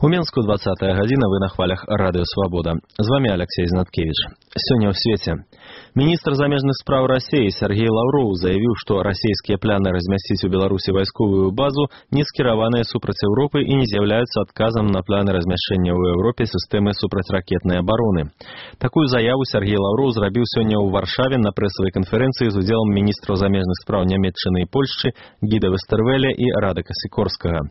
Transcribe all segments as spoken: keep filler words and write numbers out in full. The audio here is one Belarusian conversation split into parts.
У Менску двадцатая гадзіна, вы на хвалях Радыё Свабода. З вами Алексей Знаткевич. Сёння ў свеце. Міністр замежных спраў Расіі Сергей Лаўроў заявіў, што расійскія пляны размясціць у Беларусі вайсковую базу не скіраваныя супраць Еўропы і не з'яўляюцца адказам на планы размяшчэння ў Еўропе сістэмы супрацьракетнай абароны. Такую заяву Сергей Лаўроў зрабіў сёння ў Варшаве на прэсавай канферэнцыі з удзелам міністраў замежных спраў Нямецчыны і Польшчы Гіда Вестэрвеля і Радака Сікорскага.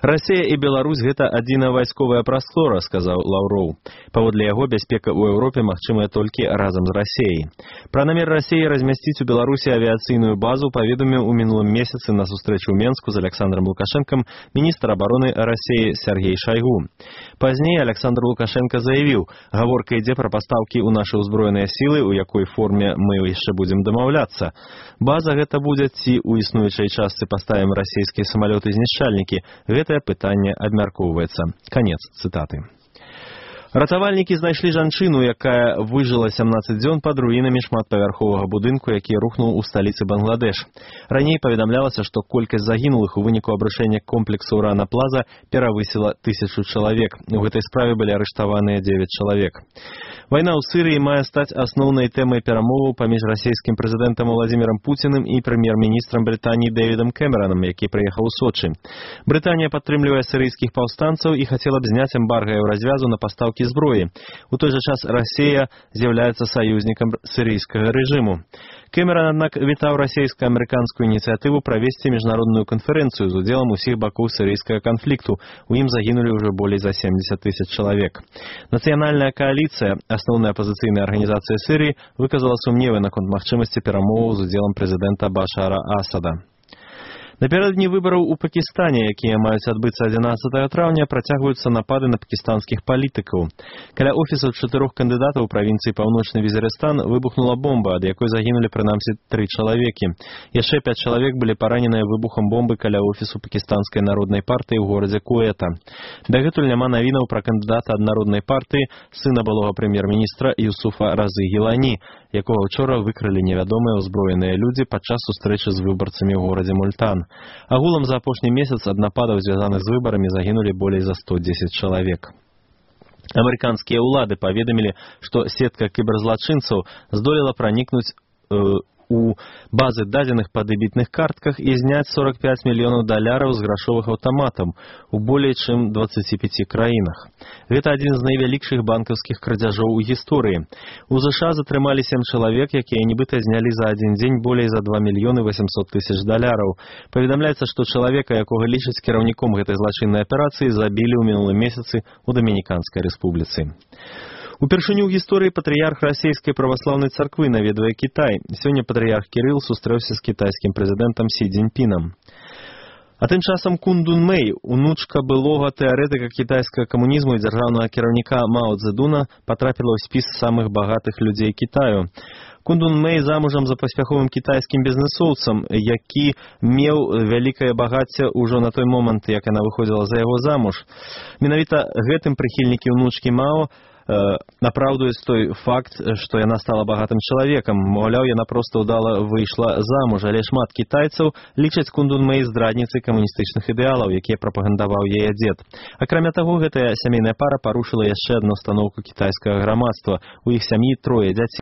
Расія і Беларусь гэта адзіная вайсковая прастора, сказаў Лаўроў. Паводле яго, бяспека ў Еўропе магчымая толькі разам з Расіяй. Пра намер Расіі размясціць у Беларусі авіяцыйную базу паведаміў у мінулым месяцы на сустрэчу ў Менску з Александром Лукашэнкам міністр абароны Расіі Сергей Шайгу. Пазней Александр Лукашенко заявіў, гаворка ідзе пра пастаўкі ў нашы ўзброеныя сілы, у якой форме мы яшчэ будзем дамаўляцца. База гэта будзе ці ў існуючай частцы паставім расійскія самалёты-знішчальнікі. Гэтае пытанне абмяркоўваецца. Конец цитаты. Ратавальнікі знайшлі жанчыну, якая выжыла сямнаццаць дзён пад руінамі шматпавярховага будынку, які рухнуў у сталіцы Бангладеш. Раней паведамлялася, што колькасць загінулых у выніку абрушэння комплексу Рана Плаза перавысіла тысячу чалавек. У гэтай справе былі арыштаваныя дзевяць чалавек. Вайна ў Сырыі мае стаць асноўнай тэмай перамоваў паміж расійскім прэзідэнтам Владзімірам Пуціным і прэм'ер-міністрам Брытаніі Дэвідам Кэмеранам, які прыехаў у Сочы. Брытанія падтрымлівае сырыйскіх паўстанцаў і хацела б зняць эмбарга еўразвязу на пастаўкі зброі. У той жа час Расія з'яўляецца саюзнікам сырыйскага рэжыму. Кэмеран, аднак, вітаў расійска-амерыканскую ініцыятыву правесці міжнародную канферэнцыю з удзелам усіх бакоў сырыйскага канфлікту. У ім загінулі ўжо болей за семдзесят тысяч чалавек. Нацыянальная кааліцыя, асноўная апазіцыйная арганізацыя Сырыі, выказала сумневы наконт магчымасці перамоваў з удзелам прэзідэнта Башара Асада. Напярэдадні выбараў у Пакістане, якія маюць адбыцца адзінаццатага траўня, працягваюцца напады на пакістанскіх палітыкаў. Каля офісаў чатырох кандыдатаў у правінцыі Паўночны Візерыстан выбухнула бомба, ад якой загінулі прынамсі тры чалавекі. Яшчэ пяць чалавек былі параненыя выбухам бомбы каля офісу пакістанскай народнай партыі ў горадзе Куэта. Дагэтуль няма навінаў пра кандыдата ад народнай партыі, сына былога прэм'ер-міністра Юсуфа Разы Гілані, якога ўчора выкрылі невядомыя ўзброеныя людзі падчас сустрэчы з выбарцамі ў горадзе Мультан. Агулам за апошні месяц ад нападаў, звязаных з выбарамі, загінулі болей за сто дзесяць чалавек. Амерыканскія ўлады паведамілі, што сетка кіберзлачынцаў здолела пранікнуць э, у базы дадзеных па дэбітных картках і зняць сорок пяць мільёнаў даляраў з грашовых аўтаматаў у болей чым дваццаці пяці краінах. Гэта адзін з найвялікшых банкаўскіх крадзяжоў у гісторыі. У ЗША затрымалі сем чалавек, якія нібыта знялі за адзін дзень болей за два мільёны васямсот тысяч даляраў. Паведамляецца, што чалавека, якога лічаць кіраўніком гэтай злачыннай аперацыі, забілі ў мінулым месяцы ў Дамініканскай рэспубліцы. Упершыню ў гісторыі патрыярх расійскай праваслаўнай царквы наведвае Кітай. Сёння патрыярх Кірыл сустрэўся з кітайскім прэзідэнтам Сі Цзіньпінам. А тым часам Кун Дун Мэй, унучка былога тэарэтыка кітайскага камунізму і дзяржаўнага кіраўніка Мао Цзэдуна, патрапіла ў спіс самых багатых людзей Кітаю. Кун Дун Мэй замужам за паспяховым кітайскім бізнэсоўцам, які меў вялікае багацце ўжо на той момант, як яна выходзіла за яго замуж. Менавіта гэтым прыхільнікі ўнучкі Мао напраўдуюць той факт, што яна стала багатым чалавекам. Маўляў, яна проста ўдала выйшла замуж, але шмат кітайцаў лічаць Кун Дун Мэй здрадніцай камуністычных ідэалаў, якія прапагандаваў яе дзед. Акрамя таго, гэтая сямейная пара парушыла яшчэ адну станоўку кітайскага грамадства. У іх сям'і трое дзяцей.